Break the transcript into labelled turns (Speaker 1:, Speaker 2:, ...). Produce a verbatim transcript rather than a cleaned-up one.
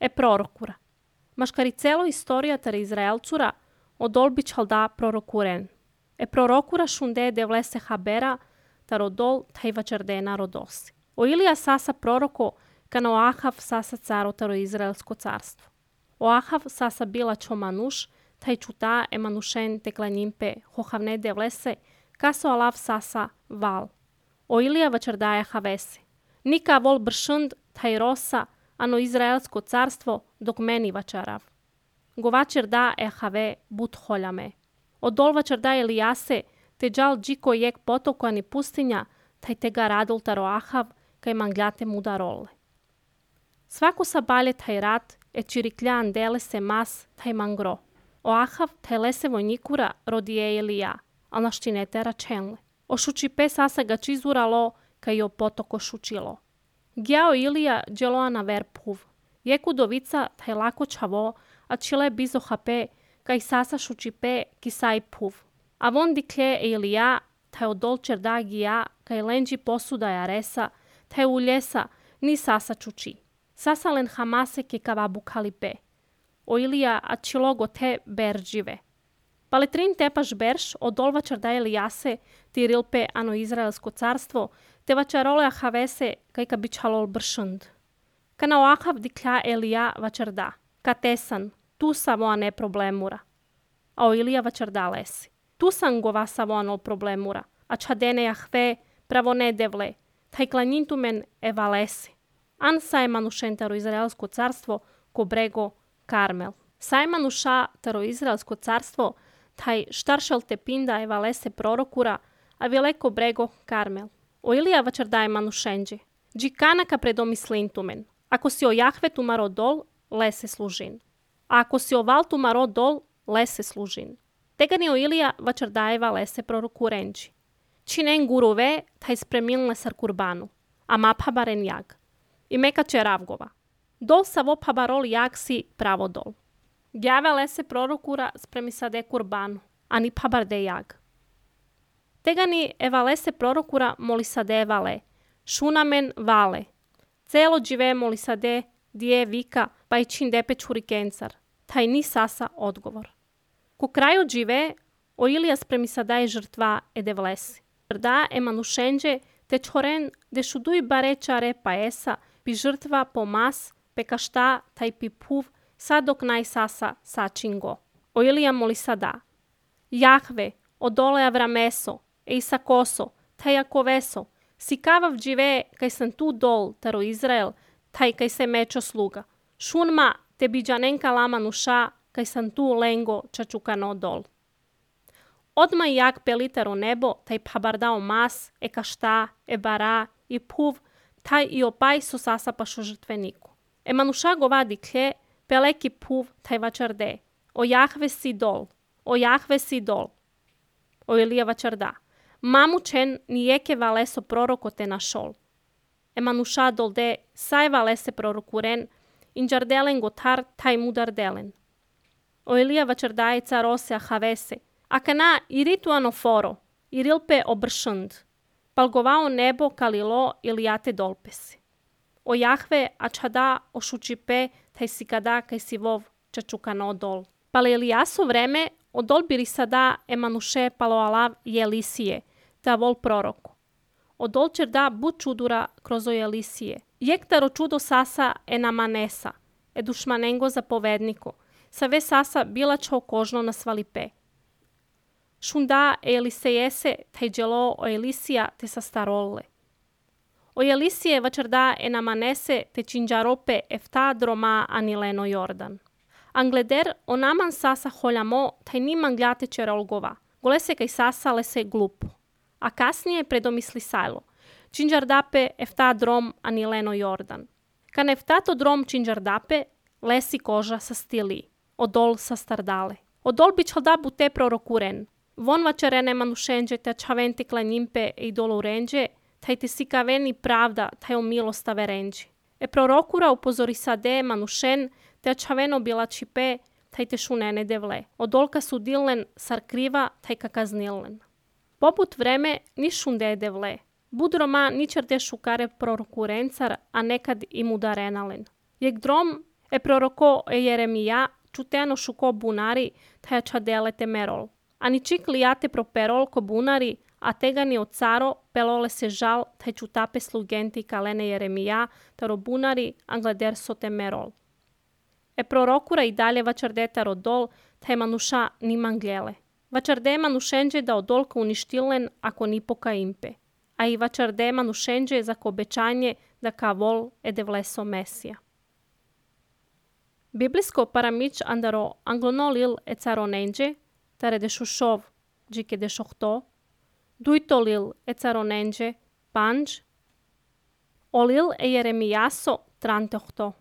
Speaker 1: E prorokura. Maškari celo istorija tar Izraelcura odol bi čalda prorokuren. E prorokura šunde devlese habera tar odol taj vačardena rodosi. O Ilija sasa proroko kana o Ahav sasa caro taro Izraelsko carstvo. O Ahav sasa bila čo manuš, taj čuta e manušen teklanjimpe hohavne devlese, kaso alav sasa val. O Ilija vačardaja havese. Nika vol bršund taj rosa, ano Izraelsko carstvo dok meni vačarav. Govačer da e have but holjame. Odol vačarda Elijase, te džal džiko jek potoko ani pustinja, taj tega radol taro Ahav, kaj mangljate muda role. Svako sabalje taj rat, e čirikljan dele se mas taj mangro. O Ahav taj lese vojnikura rodije Elija, al naštinete račenle. O šučipe sasa ga čizuralo, kaj jo potoko šučilo. Gjao Ilija dželoa na ver puv. Jeku dovica taj lako čavo, a čile bizo hape, kaj sasa šučipe kisaj puv. A von diklje Elija, taj odol čerda gija, kaj lenđi posuda jaresa, taj uljesa, ni sasa čuči. Sasa len hamase ki kava bukalipe. O Ilija a čilogo te berđive. Paletrin tepaš berš odol vačarda Elijase, ti rilpe ano Izraelsko carstvo, te vačarole ahavese kaj ka bičalol bršund. Kana o Ahav diklja Elija vačarda, ka tesan, tu samo a ne problemura. A o Ilija vačarda lesi. Tu sam gova samo ano problemura, a čadene jahve pravo ne devle, taj klanjintumen eva lesi. An sajmanušen taro Izraelsko carstvo ko brego Karmel. Sajmanuša taro Izraelsko carstvo taj štaršel te pinda eva lese prorokura, a vileko brego Karmel. O Ilija vačardaje manušenđe. Džikanaka predomislintumen. Ako si o Jahve tumaro dol, lese služin. A ako si o Val tumaro dol, lese služin. Tegani o Ilija vačardajeva lese prorokurenđi. Činen guruve taj spremilne sar kurbanu, a maphabaren jag. I meka čeravgova. Dol sa vophabarol jag si pravo dol. Gjave lese prorokura spremi sade kurbanu, a ni phabarde jag. Tegani eva lese prorokura moli sade vale, šunamen vale. Celo džive moli sade dije vika pa i čin depe čurikencar, taj ni sasa odgovor. Ku kraju džive o Ilija spremi sadaje žrtva ede vlesi. Da e manušenđe te čoren de šuduj bare čare pa esa pi žrtva po mas pe kašta taj pi puv sad dok naj sasa sačingo. O Ilija moli sada. Jahve, odole avrameso, e isakoso, taj akoveso, si kavav džive kaj sam tu dol taro Izrael, taj kaj se mečo sluga. Šunma te biđanenka lama nuša kaj sam tu lengo čačukano dol. Odmah jak pelitero nebo, taj phabardao mas, e kašta, e bara, i puv, taj i opaj su sasa pašo žrtveniku. E manuša govadi klje, peleki puv, taj vačarde. O Jahve si dol, o Jahve si dol. O Ilija vačarda. Mamučen nijeke valeso proroko te našol. E manuša dolde, saj valese prorokuren, inđardelen gotar, taj mudardelen. O Ilija vačardaje carose ahavese, a kana iritu anoforo, irilpe obršund, palgovao nebo kalilo ilijate dolpesi. O Jahve a čada ošučipe taj si kada kaj si vov čačukano dol. Pale Elijaso vreme odol biri sada emanuše palo alav i Elisije, ta vol proroko. Odol čerda bud čudura kroz o Elisije. Jektaro čudo sasa enamanesa, edušmanengo zapovedniko, sa ve sasa bila čo kožno na svalipe. Šunda Elisejese taj dželo o Elisija te sa starole. O Elisije vačarda enamanese te činđarope efta droma anileno Jordan. Angleder o naman sasa holjamo taj niman gljate čerolgova, golese kaj sasa lese glupo. A kasnije predomisli sajlo, činđardape efta drom anileno Jordan. Kan eftato drom činđardape, lesi koža sa stili, odol sa stardale. Odol bičalda bute prorokuren, von vačarene manušenđe te čaventi klanjimpe i dolurenđe, taj te si kaveni pravda, taj o milostave renđi. E prorokura upozori sade manušen, te čaveno bila čipe, taj te šunene devle. Odolka su dilen sar kriva, taj kakaznilen. Poput vreme ni šunde devle. Budroma ničer de šukare prorokurencar, a nekad i mudarenalen. Jek drom E prorocò e Jeremia, ciuteano sciucò bunari, taia ciadelete merol. Ani cik liate properol ko bunari, a tegani od caro, pelole se žal, taj čutape slugenti kalene Jeremia, taro bunari, angleder sote merol. E prorokura i dalje vačardeta rodol, taj manuša ni manglele. Vačarde manušenđe da odolka uništilen ako ni poka impe. A i vačarde manušenđe za ko obećanje da ka vol e devleso Mesija. Biblijsko paramić andaro anglonolil e caronenđe, tare de šušov, džike de šohto, dujtolil e caronenđe, panđ, olil e Jeremijaso, trantohto.